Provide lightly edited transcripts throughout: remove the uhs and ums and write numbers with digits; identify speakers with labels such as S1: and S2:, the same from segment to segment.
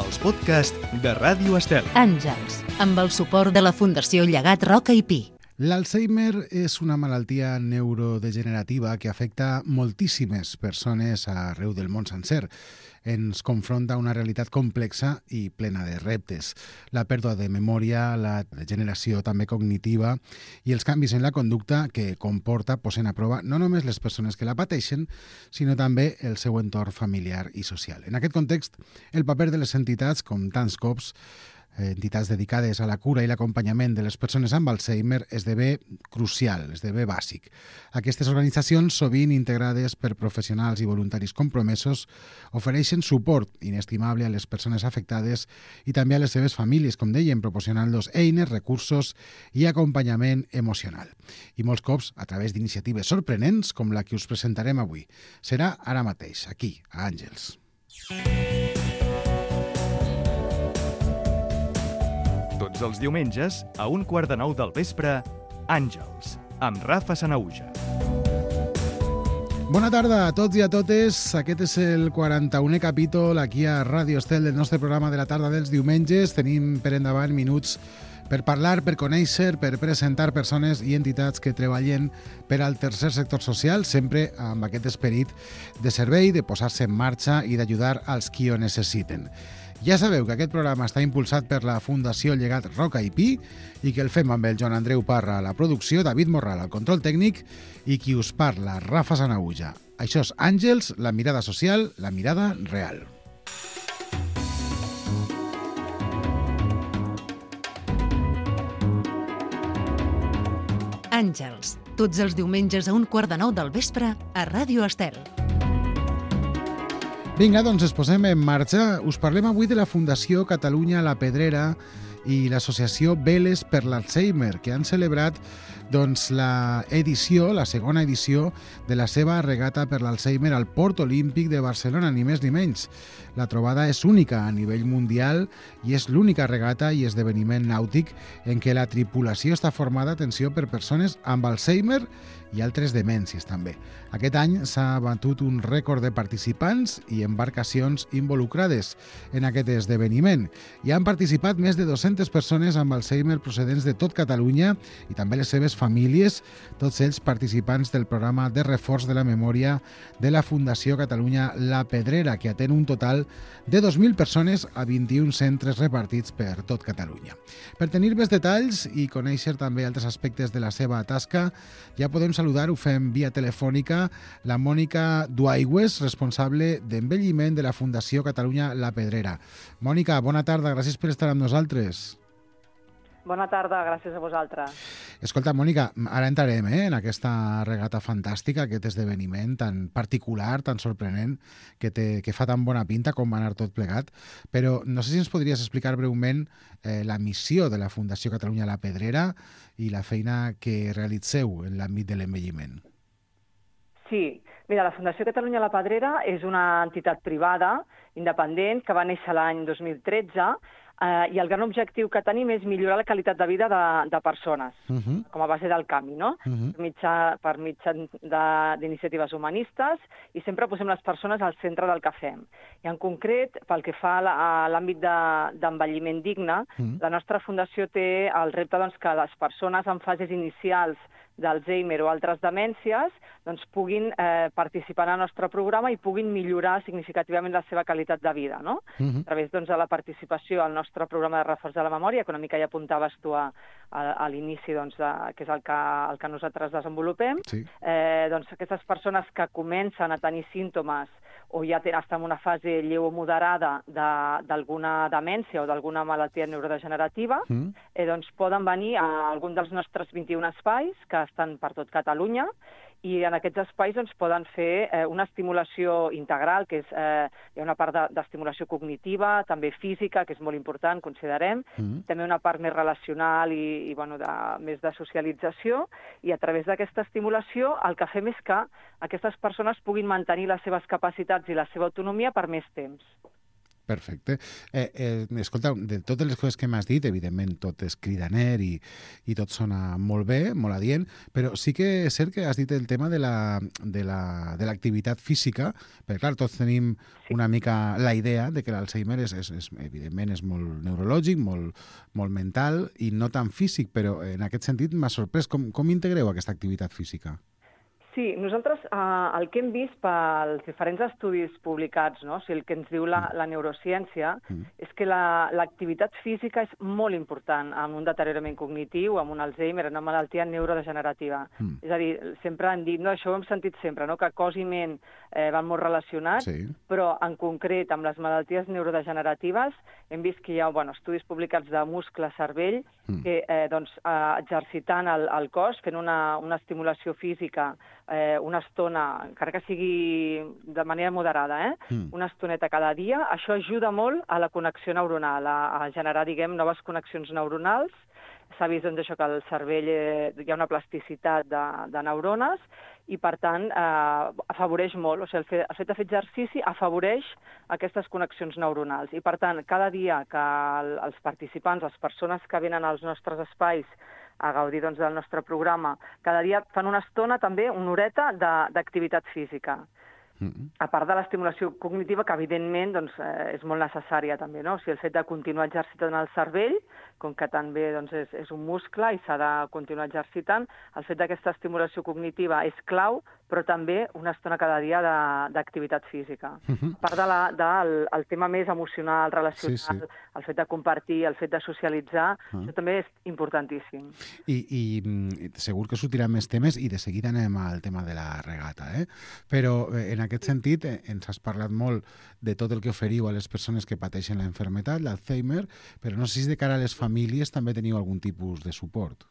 S1: els podcasts de Ràdio Estel.
S2: Àngels, amb el suport de la Fundació Llegat Roca i Pi.
S3: L'Alzheimer és una malaltia neurodegenerativa que afecta moltíssimes persones arreu del món sencer. Ens confronta una realitat complexa i plena de reptes. La pèrdua de memòria, la degeneració també cognitiva i els canvis en la conducta que comporta posen a prova no només les persones que la pateixen, sinó també el seu entorn familiar i social. En aquest context, el paper de les entitats, com tants cops, entitats dedicades a la cura i l'acompanyament de les persones amb Alzheimer esdevé crucial, esdevé bàsic. Aquestes organitzacions, sovint integrades per professionals i voluntaris compromesos, ofereixen suport inestimable a les persones afectades i també a les seves famílies, com dèiem, proporcionant-los eines, recursos i acompanyament emocional. I molts cops a través d'iniciatives sorprenents com la que us presentarem avui. Serà ara mateix, aquí, a Àngels.
S1: Tots els diumenges, a 8:45 del vespre, Àngels, amb Rafa Sanauja.
S3: Bona tarda a tots i a totes. Aquest és el 41è capítol aquí a Ràdio Estel del nostre programa de la tarda dels diumenges. Tenim per endavant minuts per parlar, per conèixer, per presentar persones i entitats que treballen per al tercer sector social, sempre amb aquest esperit de servei, de posar-se en marxa i d'ajudar als qui ho necessiten. Ja sabeu que aquest programa està impulsat per la Fundació Llegat Roca i Pi i que el fem amb el Joan Andreu Parra a la producció, David Morral al control tècnic i qui us parla, Rafa Sanauja. Això és Àngels, la mirada social, la mirada real.
S2: Àngels, tots els diumenges a 8:45 del vespre a Ràdio Estel.
S3: Vinga, doncs ens posem en marxa. Us parlem avui de la Fundació Catalunya La Pedrera i l'associació Veles per l'Alzheimer, que han celebrat la segona edició de la seva regata per l'Alzheimer al Port Olímpic de Barcelona, ni més ni menys. La trobada és única a nivell mundial i és l'única regata i esdeveniment nàutic en què la tripulació està formada, atenció, per persones amb Alzheimer i altres demències també. Aquest any s'ha batut un rècord de participants i embarcacions involucrades en aquest esdeveniment. Hi han participat més de 200 persones amb Alzheimer procedents de tot Catalunya i també les seves famílies, tots ells participants del programa de reforç de la memòria de la Fundació Catalunya La Pedrera, que atén un total de 2.000 persones a 21 centres repartits per tot Catalunya. Per tenir més detalls i conèixer també altres aspectes de la seva tasca, ja podem saludar, ho fem via telefònica, la Mònica Duaigües, responsable d'envelliment de la Fundació Catalunya La Pedrera. Mònica, bona tarda, gràcies per estar amb nosaltres.
S4: Bona tarda, gràcies a vosaltres.
S3: Escolta, Mònica, ara entrarem en aquesta regata fantàstica, aquest esdeveniment tan particular, tan sorprenent, que fa tan bona pinta com va anar tot plegat, però no sé si ens podries explicar breument la missió de la Fundació Catalunya La Pedrera i la feina que realitzeu en l'àmbit de l'envelliment.
S4: Sí, mira, la Fundació Catalunya La Pedrera és una entitat privada, independent, que va néixer l'any 2013 i el gran objectiu que tenim és millorar la qualitat de vida de persones, com a base del canvi, no? Per mitjà d'iniciatives humanistes i sempre posem les persones al centre del que fem. I en concret, pel que fa a l'àmbit d'envelliment digne, la nostra fundació té el repte que les persones en fases inicials d'Alzheimer o altres demències puguin participar en el nostre programa i puguin millorar significativament la seva qualitat de vida, no? A través de la participació al nostre programa de reforç de la memòria, que una mica ja apuntaves tu a l'inici, que és el que nosaltres desenvolupem. Aquestes persones que comencen a tenir símptomes o ja estan en una fase lleu o moderada d'alguna demència o d'alguna malaltia neurodegenerativa, poden venir a algun dels nostres 21 espais que estan per tot Catalunya i en aquests espais poden fer una estimulació integral, que hi ha una part d'estimulació cognitiva, també física, que és molt important, considerem, també una part més relacional i més de socialització, i a través d'aquesta estimulació el que fem és que aquestes persones puguin mantenir les seves capacitats i la seva autonomia per més temps.
S3: Perfecte. Escolta, de totes les coses que m'has dit, evidentment tot és cridaner i tot sona molt bé, molt adient, però sí que és cert que has dit el tema de l'activitat física, perquè clar, tots tenim una mica la idea de que l'Alzheimer evidentment és molt neurològic, molt mental i no tan físic, però en aquest sentit m'ha sorprès. Com integreu aquesta activitat física?
S4: Sí, nosaltres el que hem vist pels diferents estudis publicats, no? O sigui, el que ens diu la neurociència, és que l'activitat física és molt important en un deteriorament cognitiu, en un Alzheimer, en una malaltia neurodegenerativa. És a dir, sempre han dit, no, això ho hem sentit sempre, no? Que cos i ment van molt relacionats, però en concret amb les malalties neurodegeneratives hem vist que hi ha estudis publicats de muscle-cervell que exercitant el cos, fent una estimulació física una estona, encara que sigui de manera moderada, una estoneta cada dia, això ajuda molt a la connexió neuronal, a generar, noves connexions neuronals. S'ha vist això que al cervell hi ha una plasticitat de neurones i, per tant, afavoreix molt. O sigui, el fet de fer exercici afavoreix aquestes connexions neuronals. I, per tant, cada dia que els participants, les persones que venen als nostres espais a gaudir del nostre programa, cada dia fan una estona, també, una horeta d'activitat física. A part de l'estimulació cognitiva, que evidentment és molt necessària també, no? O sigui, el fet de continuar exercitant el cervell, com que també és un muscle i s'ha de continuar exercitant, el fet d'aquesta estimulació cognitiva és clau, però també una estona cada dia d'activitat física. A part del tema més emocional, relacional, el fet de compartir, el fet de socialitzar, això també és importantíssim.
S3: I segur que sortiran més temes i de seguida anem al tema de la regata, però en aquest sentit ens has parlat molt de tot el que oferiu a les persones que pateixen la malaltia, l'Alzheimer, però no sé si de cara a les famílies també teniu algun tipus de suport.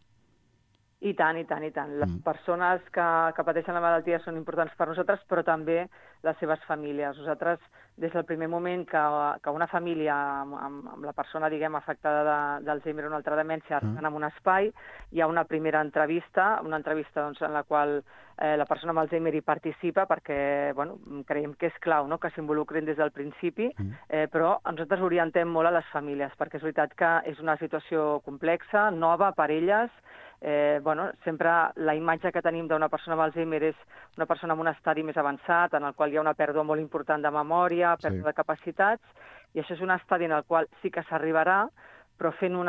S4: I tant, i tant, i tant. Les persones que pateixen la malaltia són importants per nosaltres, però també les seves famílies. Nosaltres, des del primer moment que una família amb la persona, afectada d'Alzheimer o una altra demència arriben en un espai, hi ha una primera entrevista, en la qual la persona amb Alzheimer hi participa perquè creiem que és clau, no?, que s'involucrin des del principi, però nosaltres orientem molt a les famílies, perquè és veritat que és una situació complexa, nova per elles. Sempre la imatge que tenim d'una persona amb Alzheimer és una persona en un estadi més avançat, en el qual hi ha una pèrdua molt important de memòria, pèrdua de capacitats, i això és un estadi en el qual sí que s'arribarà, però fent un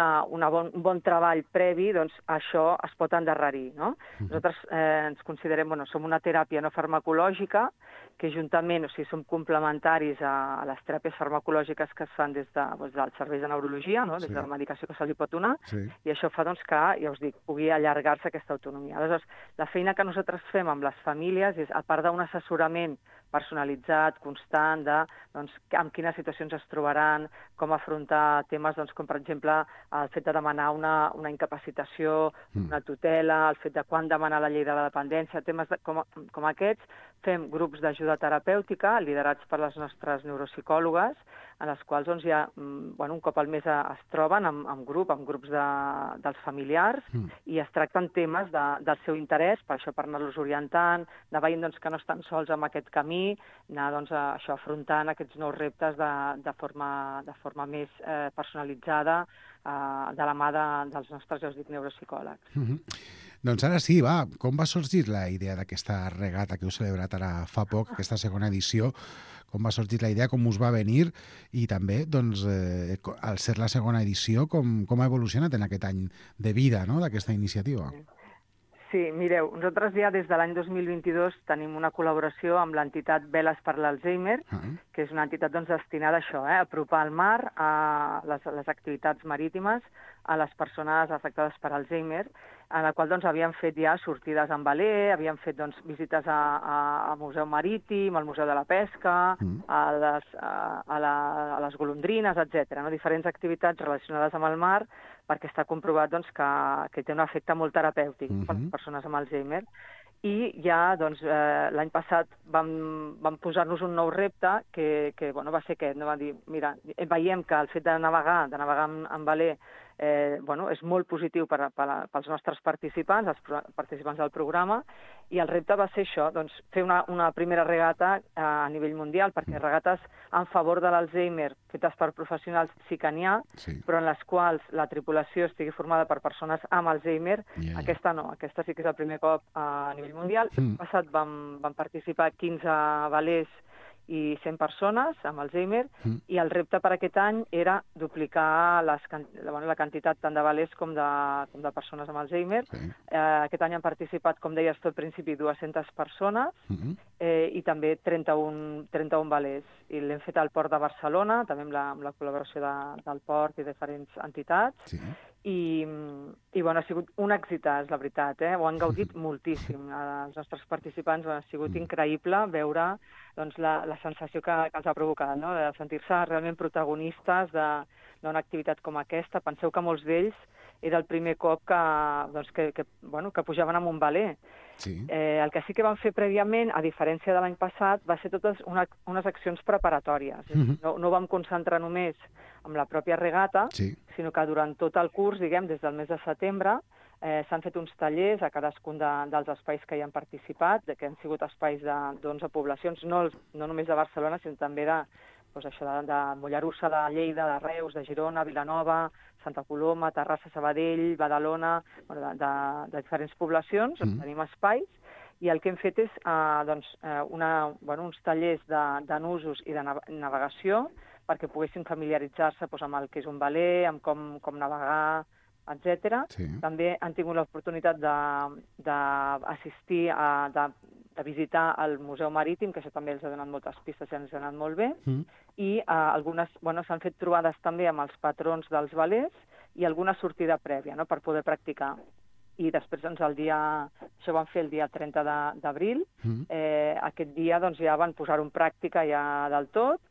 S4: bon treball previ, això es pot endarrerir, no? Nosaltres ens considerem, som una teràpia no farmacològica, que juntament, som complementaris a les teràpies farmacològiques que es fan des dels serveis de neurologia, des de la medicació que se li pot donar, i això fa que, ja us dic, pugui allargar-se aquesta autonomia. Aleshores, la feina que nosaltres fem amb les famílies és, a part d'un assessorament personalitzat, constant, en quines situacions es trobaran, com afrontar temes com, per exemple, el fet de demanar una incapacitació, una tutela, el fet de quan demanar la llei de la dependència, temes com aquests. Fem grups d'ajuda terapèutica liderats per les nostres neuropsicòlogues, en els quals un cop al mes es troben en grups dels familiars i es tracten temes del seu interès, per això per anar-los orientant, anar veient que no estan sols en aquest camí, anar afrontant aquests nous reptes de forma més personalitzada, de la mà dels nostres, ja us dic, neuropsicòlegs.
S3: Doncs ara sí, com va sorgir la idea d'aquesta regata que heu celebrat ara fa poc, aquesta segona edició? Com va sorgir la idea, com us va venir i també, al ser la segona edició, com ha evolucionat en aquest any de vida d'aquesta iniciativa?
S4: Sí, mireu, nosaltres ja des de l'any 2022 tenim una col·laboració amb l'entitat Veles per l'Alzheimer, que és una entitat destinada a això, a apropar el mar, a les activitats marítimes, a les persones afectades per Alzheimer, en la qual havíem fet ja sortides en veler, havíem fet visites al Museu Marítim, al Museu de la Pesca, a les golondrines, etc. Diferents activitats relacionades amb el mar, perquè està comprovat que té un efecte molt terapèutic per les persones amb Alzheimer. I ja l'any passat vam posar-nos un nou repte que va ser aquest. Vam dir, mira, veiem que el fet de navegar en veler és molt positiu pels nostres participants, els participants del programa, i el repte va ser això, doncs, fer una primera regata a nivell mundial, perquè regates en favor de l'Alzheimer fetes per professionals sí que n'hi ha, però en les quals la tripulació estigui formada per persones amb Alzheimer, aquesta no, aquesta sí que és el primer cop a nivell mundial. L'any passat van participar 15 velers i 100 persones amb Alzheimer, i el repte per aquest any era duplicar la quantitat tant de velers com de persones amb Alzheimer. Aquest any han participat, com deies tu al principi, 200 persones i també 31 velers. I l'hem fet al Port de Barcelona, també amb la col·laboració del Port i diferents entitats. I ha sigut un èxit, la veritat, ho han gaudit moltíssim. Els nostres participants ha sigut increïble veure la sensació que els ha provocat, de sentir-se realment protagonistes d'una activitat com aquesta. Penseu que molts d'ells era el primer cop que pujaven amb un veler. El que sí que van fer prèviament, a diferència de l'any passat, va ser totes unes accions preparatòries. No vam concentrar només en la pròpia regata, sinó que durant tot el curs, diguem, des del mes de setembre, s'han fet uns tallers a cadascun dels espais que hi han participat, que han sigut espais d'11 poblacions, no només de Barcelona, sinó també de Mollerussa, de Lleida, de Reus, de Girona, Vilanova, Santa Coloma, Terrassa, Sabadell, Badalona, de diferents poblacions, on tenim espais, i el que hem fet és uns tallers de nusos i de navegació perquè poguessin familiaritzar-se amb el que és un veler, amb com navegar, etc. També han tingut l'oportunitat d'assistir, de visitar el Museu Marítim, que això també els ha donat moltes pistes i ens ha anat molt bé, i s'han fet trobades també amb els patrons dels velers i alguna sortida prèvia, per poder practicar. I després, això ho van fer el dia 30 d'abril, aquest dia ja van posar-ho en pràctica ja del tot,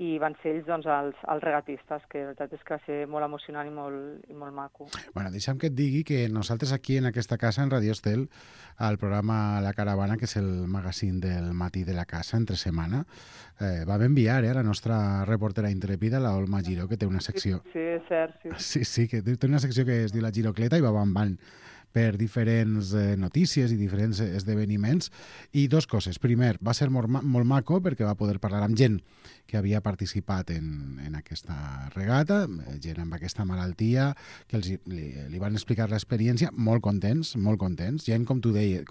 S4: i van ser ells els regatistes, que la veritat és que va ser molt emocionant i molt maco.
S3: Bueno, deixa'm que et digui que nosaltres aquí en aquesta casa, en Radio Estel, al programa La Caravana, que és el magazín del matí de la casa, entre setmana, vam enviar a la nostra reportera intrèpida, la Olma Giró, que té una secció...
S4: Sí, és cert.
S3: Sí, que té una secció que es diu La Girocleta i va van per diferents notícies i diferents esdeveniments. I dues coses. Primer, va ser molt maco perquè va poder parlar amb gent que havia participat en aquesta regata, gent amb aquesta malaltia, que li van explicar l'experiència, molt contents, gent com tu deies,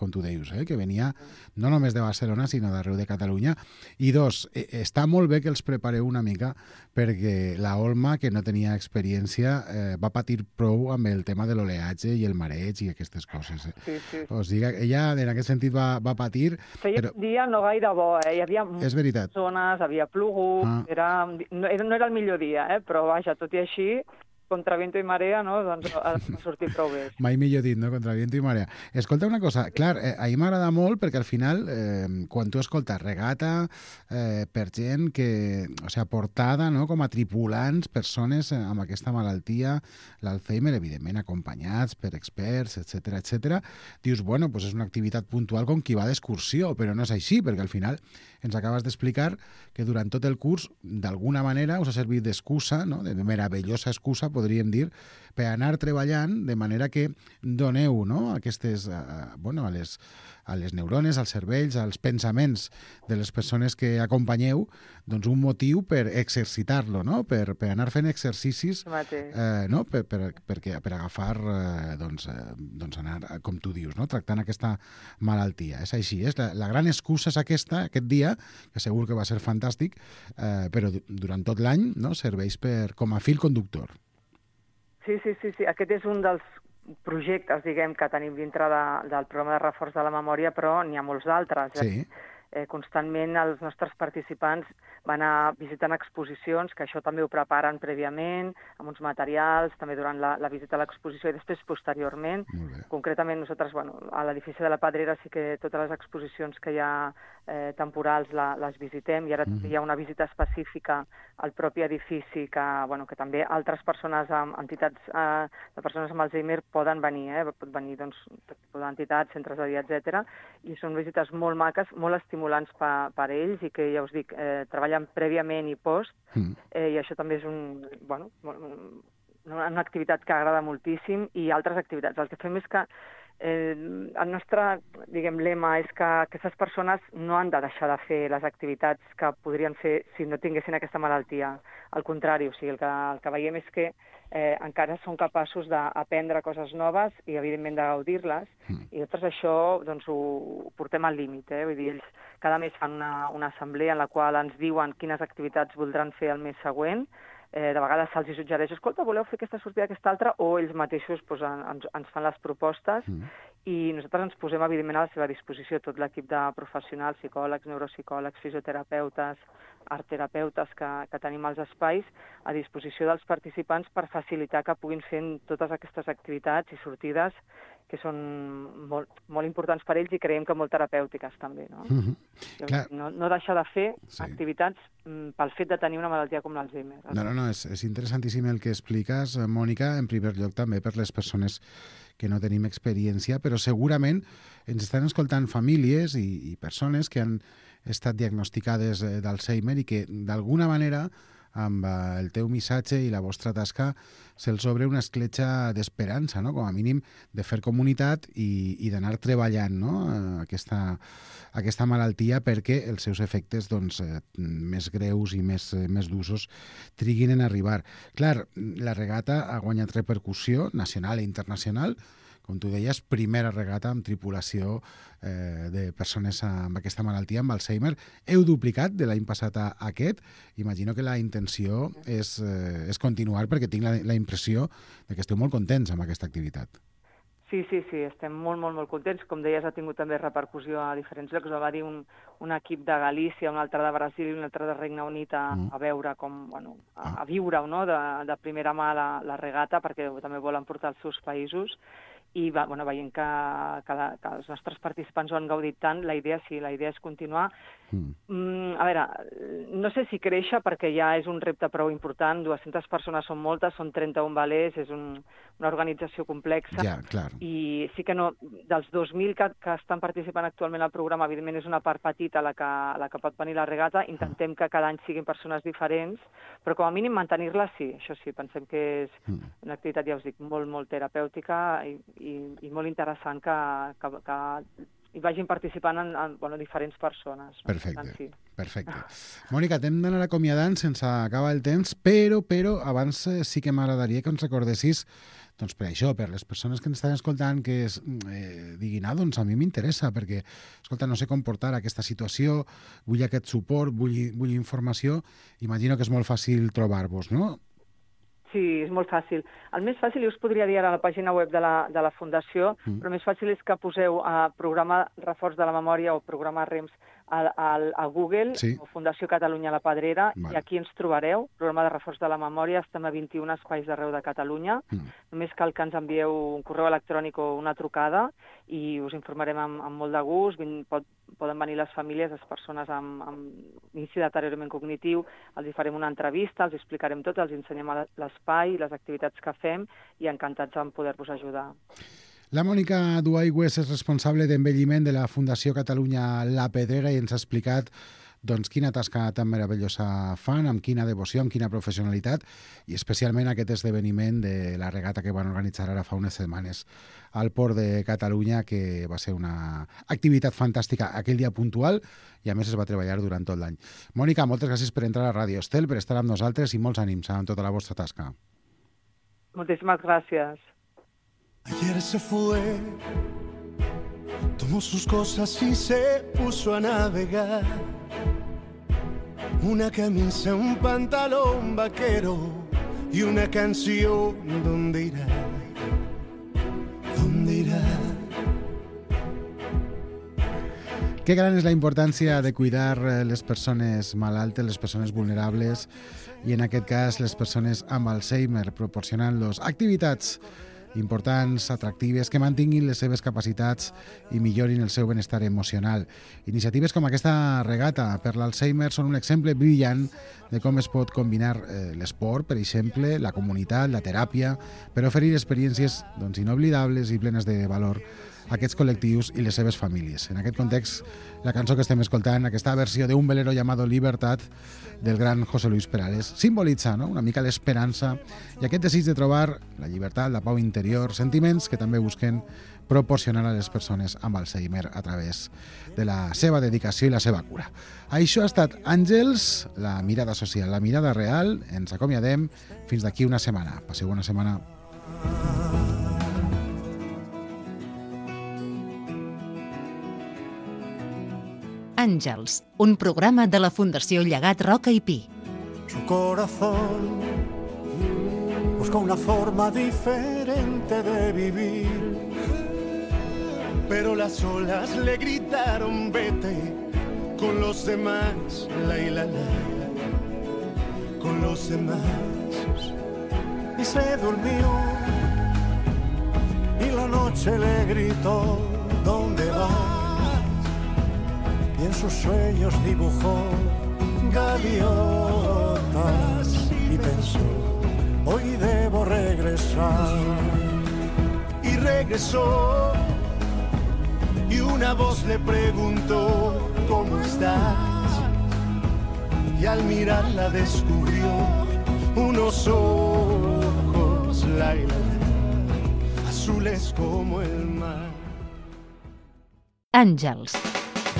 S3: que venia no només de Barcelona, sinó d'arreu de Catalunya. I dos, està molt bé que els prepareu una mica perquè la Olma, que no tenia experiència, va patir prou amb el tema de l'oleatge i el mareig i aquestes coses.
S4: Sí.
S3: O sigui, ella en aquest sentit va patir...
S4: Feia un dia no gaire bo, hi havia
S3: moltes
S4: zones, havia plogut, no era el millor dia, però vaja, tot i així, contra viento i marea, va sortir prou bé.
S3: Mai millor dit, no? Contra viento i marea. Escolta una cosa, clar, a mi m'agrada molt perquè al final, quan tu escoltes regata per gent que, o sigui, portada, no?, com a tripulants, persones amb aquesta malaltia, l'Alzheimer, evidentment, acompanyats per experts, etc, dius, bueno, pues és una activitat puntual com qui va d'excursió, però no és així, perquè al final ens acabes d'explicar que durant tot el curs, d'alguna manera, us ha servit d'excusa, no?, de meravellosa excusa, podríem dir, per anar treballant de manera que doneu, no?, aquestes, a les neurones, als cervells, als pensaments de les persones que acompanyeu, doncs un motiu per exercitar-lo, no?, per anar fent exercicis, no?, per agafar, anar, com tu dius, no?, tractant aquesta malaltia. És així, la gran excusa és aquesta, aquest dia, que segur que va ser fantàstic, però durant tot l'any, no?, serveix com a fil conductor.
S4: Sí. Aquest és un dels projectes, diguem, que tenim dintre del programa de reforç de la memòria, però n'hi ha molts d'altres.
S3: Sí.
S4: Constantment els nostres participants van anar visitant exposicions, que això també ho preparen prèviament, amb uns materials, també durant la visita a l'exposició i després posteriorment. Concretament nosaltres, a l'edifici de la Pedrera sí que totes les exposicions que hi ha temporals les visitem, i ara hi ha una visita específica al propi edifici que també altres persones, entitats de persones amb Alzheimer poden venir, pot venir entitats, centres de dia, etc. I són visites molt maques, molt estimulants per ells i que, ja us dic, treballen prèviament i post, i això també és una activitat que agrada moltíssim i altres activitats. El que fem és que el nostre, lema és que aquestes persones no han de deixar de fer les activitats que podrien fer si no tinguessin aquesta malaltia. Al contrari, o sigui, el que veiem és que encara són capaços d'aprendre coses noves i, evidentment, de gaudir-les. I nosaltres això doncs, ho portem al límit. Vull dir, ells cada mes fan una assemblea en la qual ens diuen quines activitats voldran fer el mes següent. De vegades se'ls suggereix, escolta, voleu fer aquesta sortida, aquesta altra, o ells mateixos ens fan les propostes i nosaltres ens posem, evidentment, a la seva disposició tot l'equip de professionals, psicòlegs, neuropsicòlegs, fisioterapeutes, artterapeutes que tenim als espais a disposició dels participants per facilitar que puguin fer totes aquestes activitats i sortides que són molt importants per ells i creiem que molt terapèutiques també. No deixar de fer activitats pel fet de tenir una malaltia com l'Alzheimer.
S3: No, és interessantíssim el que expliques, Mònica, en primer lloc també per les persones que no tenim experiència, però segurament ens estan escoltant famílies i persones que han estat diagnosticades d'Alzheimer i que d'alguna manera amb el teu missatge i la vostra tasca se'ls obre una escletxa d'esperança, no? Com a mínim de fer comunitat i d'anar treballant, no? aquesta malaltia perquè els seus efectes més greus i més d'usos triguin en arribar. Clar, la regata ha guanyat repercussió nacional i internacional, com tu deies, primera regata amb tripulació de persones amb aquesta malaltia, amb Alzheimer. Heu duplicat de l'any passat a aquest. Imagino que la intenció és continuar, perquè tinc la impressió de que esteu molt contents amb aquesta activitat.
S4: Sí, estem molt contents. Com deies, ha tingut també repercussió a diferents llocs. Va haver un equip de Galícia, un altre de Brasil i un altre de Regne Unit a veure com, a viure de primera mà la regata, perquè també volen portar als seus països. I veient que els nostres participants ho han gaudit tant, la idea és continuar. A veure, no sé si créixer perquè ja és un repte prou important, 200 persones són moltes, són 31 velers, és una organització complexa.
S3: Ja, clar.
S4: I sí que dels 2.000 que estan participant actualment al programa, evidentment és una part petita la que pot venir la regata, intentem que cada any siguin persones diferents, però com a mínim mantenir-la sí, això sí, pensem que és una activitat, ja us dic, molt terapèutica i molt interessant que hi vagin participant diferents persones.
S3: Perfecte. Mònica, t'hem d'anar acomiadant sense acabar el temps, però abans sí que m'agradaria que ens recordessis, doncs per això, per les persones que ens estan escoltant, que diguin, doncs a mi m'interessa, perquè, escolta, no sé com portar aquesta situació, vull aquest suport, vull informació, imagino que és molt fàcil trobar-vos, no?
S4: Sí, és molt fàcil. El més fàcil, jo us podria dir ara a la pàgina web de la Fundació, però el més fàcil és que poseu programa Reforç de la Memòria o programa REMS a Google, o Fundació Catalunya La Pedrera, i aquí ens trobareu, programa de Reforç de la Memòria, estem a 21 espais d'arreu de Catalunya. Només cal que ens envieu un correu electrònic o una trucada i us informarem amb molt de gust. Poden venir les famílies, les persones amb inici de deteriorament cognitiu, els farem una entrevista, els explicarem tot, els ensenyem l'espai, les activitats que fem i encantats en poder-vos ajudar.
S3: La Mònica Duaigües és responsable d'envelliment de la Fundació Catalunya La Pedrera i ens ha explicat quina tasca tan meravellosa fan, amb quina devoció, amb quina professionalitat i especialment aquest esdeveniment de la regata que van organitzar ara fa unes setmanes al Port de Catalunya, que va ser una activitat fantàstica aquell dia puntual i a més es va treballar durant tot l'any. Mònica, moltes gràcies per entrar a Ràdio Estel, per estar amb nosaltres i molts ànims en tota la vostra tasca.
S4: Moltíssimes gràcies.
S5: Ayer se fue, tomó sus cosas y se puso a navegar. Una camisa, un pantalón vaquero y una canción. ¿Dónde irá? ¿Dónde irá?
S3: Que gran és la importància de cuidar les persones malaltes, les persones vulnerables i en aquest cas les persones amb Alzheimer, proporcionant-los activitats importants, atractives, que mantinguin les seves capacitats i millorin el seu benestar emocional. Iniciatives com aquesta regata per l'Alzheimer són un exemple brillant de com es pot combinar l'esport, per exemple, la comunitat, la teràpia, per oferir experiències inoblidables i plenes de valor aquests col·lectius i les seves famílies. En aquest context, la cançó que estem escoltant, aquesta versió d'un velero llamado Libertad, del gran José Luis Perales, simbolitza, no?, una mica l'esperança i aquest desig de trobar la llibertat, la pau interior, sentiments que també busquen proporcionar a les persones amb Alzheimer a través de la seva dedicació i la seva cura. Això ha estat Àngels, la mirada social, la mirada real. Ens acomiadem fins d'aquí una setmana. Passeu bona setmana.
S2: Àngels, un programa de la Fundació Llegat Roca i Pi.
S5: Su corazón busca una forma diferente de vivir, pero las olas le gritaron vete con los demás, la, con los demás, y se durmió y la noche le gritó ¿dónde vas? Y en sus sueños dibujó gaviotas y pensó hoy debo regresar, y regresó. Y una voz le preguntó, ¿cómo estás? Y al mirarla descubrió unos ojos, azules como el mar.
S2: Àngels,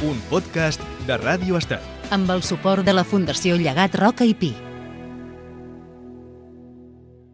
S1: Un podcast de Ràdio Estel.
S2: amb el suport de la Fundació Llegat Roca i Pi.